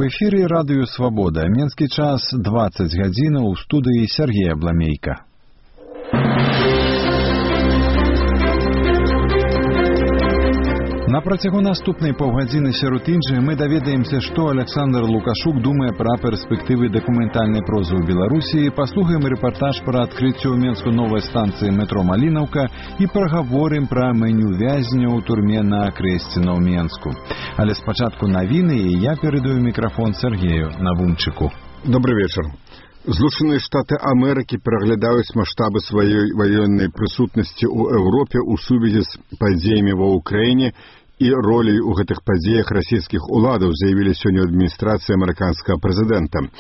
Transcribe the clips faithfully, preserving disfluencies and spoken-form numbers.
У эфіры радыё «Свабода». Менскі час дваццаць гадзінаў, у студыі Сергей Абламейка. На працягу наступнай паўгадзіны сярод іншых мы даведаемся, што Александр Лукашук думае пра перспектывы дакументальнай прозы ў Беларусі, паслухаем рэпартаж пра адкрыццё ў Менску новай станцыі метро Малінаўка і прагаворым пра меню вязня ў турме на Крэсціна ў Менску. Але спачатку навіны, і я перадаю мікрафон Сергею Навумчыку. Добрый вечер. Злучаныя Штаты Амерыкі пераглядаюць маштабы сваёй ваеннай прысутнасці ў Еўропе ў сувязі з падзеямі ва ўкраіне і ролей у гэтых падзеях расійскіх уладаў, заявілі сёння ў адміністрацыі амерыканскага прэзідэнта.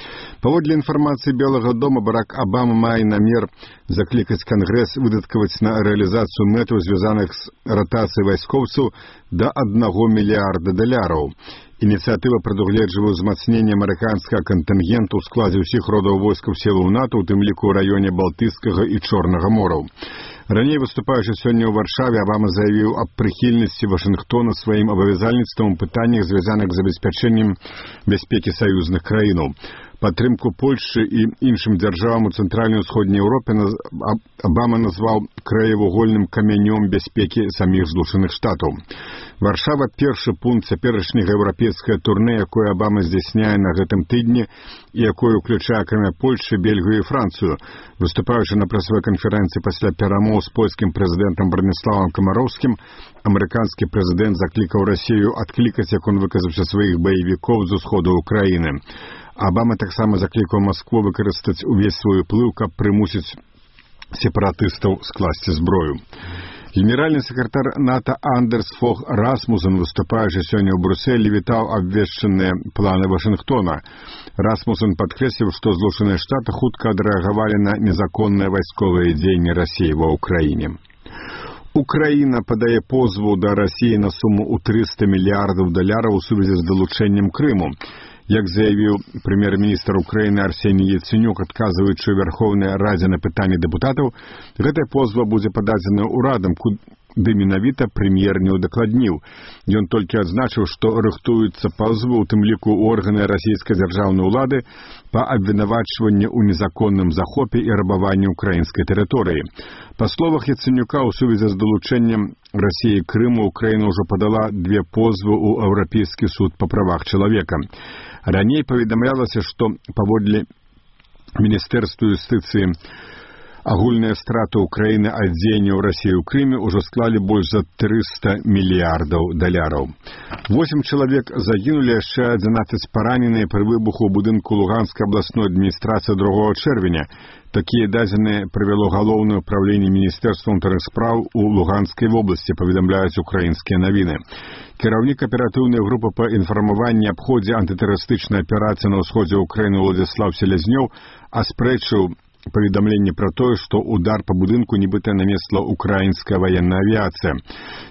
Паводле інфармацыі Белага дома, Барак Абама мае намер заклікаць Кангрэс выдаткаваць на рэалізацыю мэтаў, звязаных з ратацыяй вайскоўцаў, да аднаго мільярда даляраў. Ініцыятыва прадугледжвае ўзмацненне амерыканскага кантынгенту ў складзе ўсіх родаў войскаў сілаў НАТО, у тым ліку ў раёне Балтыйскага і Чорнага мораў. Раней, выступаючы сёння ў Варшаве, Абама заявіў аб прыхільнасці Вашынгтона сваім абавязальніцтвам у пытаннях, звязаных з забеспячэннем бяспекі саюзных краінаў. Падтрымку Польшчы і іншым дзяржавам у цэнтральнай і ўсходняй Еўропе Абама назваў краевугольным камянём бяспекі саміх Злучаных Штатаў. Варшава – першы пункт цяперашняга еўрапейскага турне, якое Абама здзяйсняе на гэтым тыдні і якое ўключае, акрамя Польшчы, Бельгію і Францыю. Выступаючы на прэсавой канферэнцыі пасля перамоў з польскім прэзідэнтам Браніславам Камароўскім, амерыканскі прэзідэнт заклікаў Расію адклікаць, як он выказаўся, сваіх баевікоў з усходу ўкраіны. Абама таксама заклікаў Маскву выкарыстаць увесь свой уплыў, каб прымусіць сепаратыстаў скласці зброю. Генеральны сакратар НАТО Андерс Фог Расмусен, выступаючы сёння ў Брюсселі, вітаў абвешчаныя планы Вашынгтона. Расмусен падкрэсліў, што Злучаныя Штаты хутка адрэагавалі на незаконныя вайсковыя дзеянні Расіі ва ўкраіне. Украіна падае позву да Расіі на суму ў трыста мільярдаў даляраў у сувязі з далучэннем Крыму. Як заявіў прэм'ер-міністр Украіны Арсеній Яценюк, адказваючы ў Верховнай Радзе на пытанні дэпутатаў, гэтая позва будзе пададзена ўрадам, куды менавіта прэм'ер не ўдакладніў. Ён толькі адзначыў, што рыхтуюцца пазовы, у тым ліку органы расійскай дзяржаўнай улады, па абвінавачванні ў незаконным захопе і рабаванні ўкраінскай тэрыторыі. Па словах Яценюка, у сувязі з далучэннем Расіі Крыму, Украіна ўжо падала две позвы ў Еўрапейскі суд па правах чалавека. Раней паведамлялася, што паводле Міністэрства юстыцыі агульныя страты Украіны ад дзеянняў Расіі ў Крыме ўжо склалі больш за трыста мільярдаў даляраў. Восем чалавек загінулі, яшчэ адзінаццаць параненыя пры выбуху ў будынку Луганскай абласной адміністрацыі другога чэрвеня. Такія дадзеныя прывяло галоўнае ўпраўленне Міністэрства ўнутраных спраў у Луганскай вобласці, паведамляюць украінскія навіны. Кіраўнік аператыўнай групы па інфармаванні аб ходзе антытэрарыстычнай аперацыі на ўсходзе ўкраіны Уладзіслаў Селязнёў аспрэчыў паведамленне пра тое, што удар па будынку нібыта нанесла украінская ваенная авіяцыя.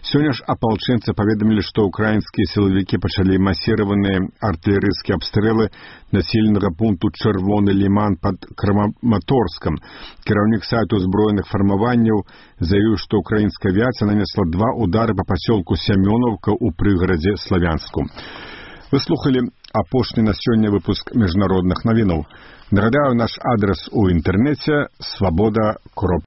Сёння ж апалчэнцы паведамілі, што украінскія сілавікі пачалі масіраваныя артылерыйскія абстрэлы населенага пункту Чырвоны ліман пад Краматорскам. Кіраўнік сайту зброеных фармаванняў заявіў, што украінская авіяцыя нанесла два удары па пасёлку Сямёнаўка ў прыгарадзе Славянску. Вы слухали апошні на сёння выпуск міжнародных навінаў. Нагадаю, наш адрес у інтэрнэце свабода